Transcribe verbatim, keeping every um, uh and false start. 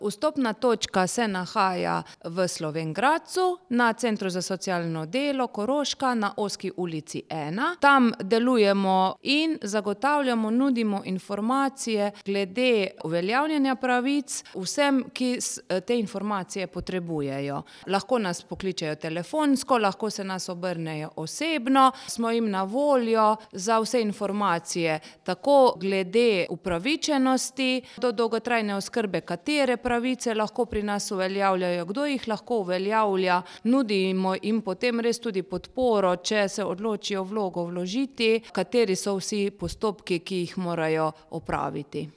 Vstopna točka se nahaja v Slovenj Gradcu na Centru za socialno delo Koroška na Ozki ulici ena. Tam delujemo in zagotavljamo, nudimo informacije glede uveljavljanja pravic vsem, ki te informacije potrebujejo. Lahko nas pokličejo telefonsko, lahko se nas obrnejo osebno, smo jim na voljo za vse informacije, tako glede upravičenosti do dolgotrajne oskrbe, katere pravice lahko pri nas uveljavljajo, kdo jih lahko uveljavlja, nudimo jim potem res tudi podporo, če se odločijo vlogo vložiti, kateri so vsi postopki, ki jih morajo opraviti.